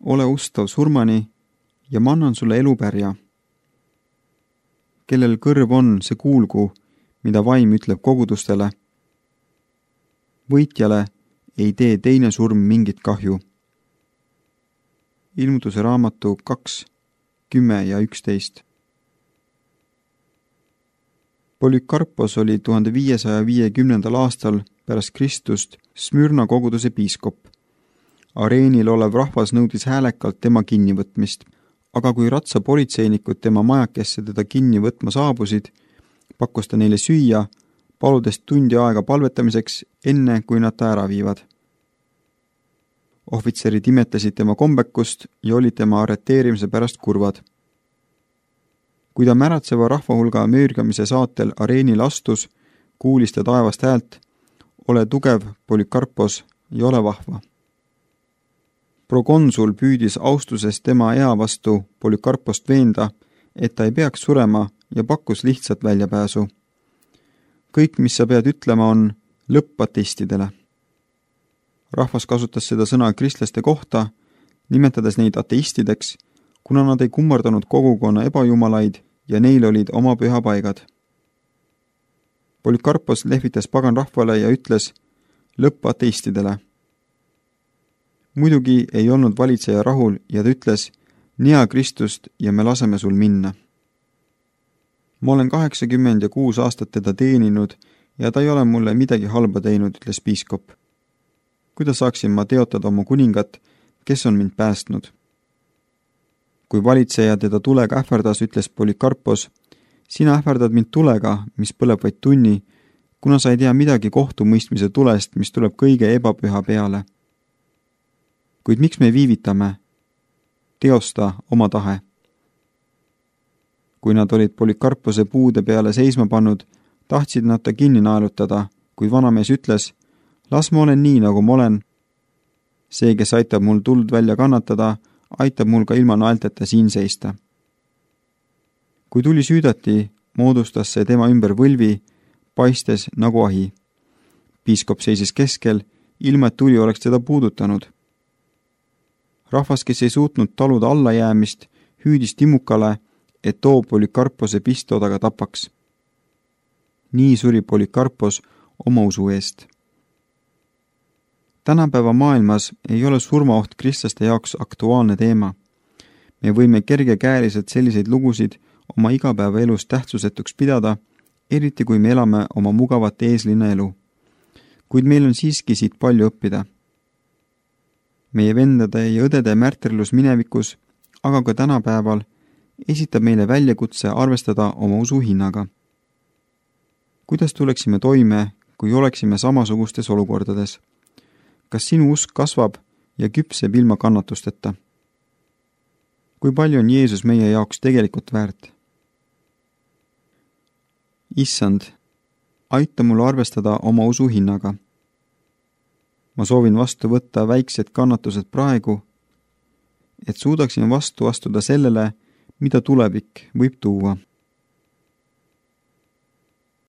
ole ustav surmani ja ma annan sulle elupärja. Kellel kõrv on, see kuulgu, mida vaim ütleb kogudustele. Võitjale ei tee teine surm mingit kahju. Ilmutuse raamatu 2:10-11. Polycarpos oli 1550. aastal pärast Kristust Smürna koguduse piiskop. Areenil olev rahvas nõudis häälekalt tema kinnivõtmist, aga kui ratsapolitseinikud tema majakesse teda kinni võtma saabusid, pakkus ta neile süüa, paludes tundi aega palvetamiseks, enne kui nad ta ära viivad. Ohvitserid imetasid tema kombekust ja olid tema arreteerimise pärast kurvad. Kui ta märatseva rahvahulga möörgamise saatel areenil astus, kuulis ta taevast häält: ole tugev, Polycarpos, ja ole vahva. Prokonsul püüdis austuses tema ea vastu Polycarpost veenda, et ta ei peaks surema, ja pakkus lihtsat väljapääsu. Kõik, mis sa pead ütlema, on lõpp ateistidele. Rahvas kasutas seda sõna kristlaste kohta, nimetades neid ateistideks, kuna nad ei kummardanud kogukonna ebajumalaid ja neil olid oma pühapaigad. Polycarpos lehvitas pagan rahvale ja ütles lõpp ateistidele. Muidugi ei olnud valitseja rahul ja ta ütles: nia Kristust ja me laseme sul minna. Ma olen 86 aastat teda teeninud ja ta ei ole mulle midagi halba teinud, ütles piiskop. Kuidas saaksin ma teotada oma kuningat, kes on mind päästnud? Kui valitseja teda tulega ähvardas, ütles Polycarpos: sina ähvardad mind tulega, mis põleb vaid tunni, kuna sa ei tea midagi kohtumõistmise tulest, mis tuleb kõige ebapüha peale. Kuid miks me viivitame? Teosta oma tahe. Kui nad olid Polycarpose puude peale seisma pannud, tahtsid nad ta kinni naelutada, kuid vanamees ütles: las ma olen nii, nagu ma olen. See, kes aitab mul tuld välja kannatada, aitab mul ka ilma naelteta siin seista. Kui tuli süüdati, moodustas see tema ümber võlvi, paistes nagu ahi. Piiskop seisis keskel, ilma et tuli oleks teda puudutanud. Rahvas, kes ei suutnud taluda allajäämist, hüüdis timukale, et too Polycarpose pistodaga tapaks. Nii suri Polycarpos oma usu eest. Tänapäeva maailmas ei ole surmaoht kristlaste jaoks aktuaalne teema. Me võime kergekäeliselt selliseid lugusid oma igapäevaelus tähtsusetuks pidada, eriti kui me elame oma mugavat eeslinna elu. Kuid meil on siiski siit palju õppida. Meie vendade ja õdede märtrilus minevikus, aga ka tänapäeval, esitab meile väljakutse arvestada oma usu hinnaga. Kuidas tuleksime toime, kui oleksime samasugustes olukordades? Kas sinu usk kasvab ja küpseb ilma kannatusteta? Kui palju on Jeesus meie jaoks tegelikult väärt? Issand, aita mul arvestada oma usu hinnaga. Ma soovin vastu võtta väiksed kannatused praegu, et suudaksin vastu astuda sellele, mida tulevik võib tuua.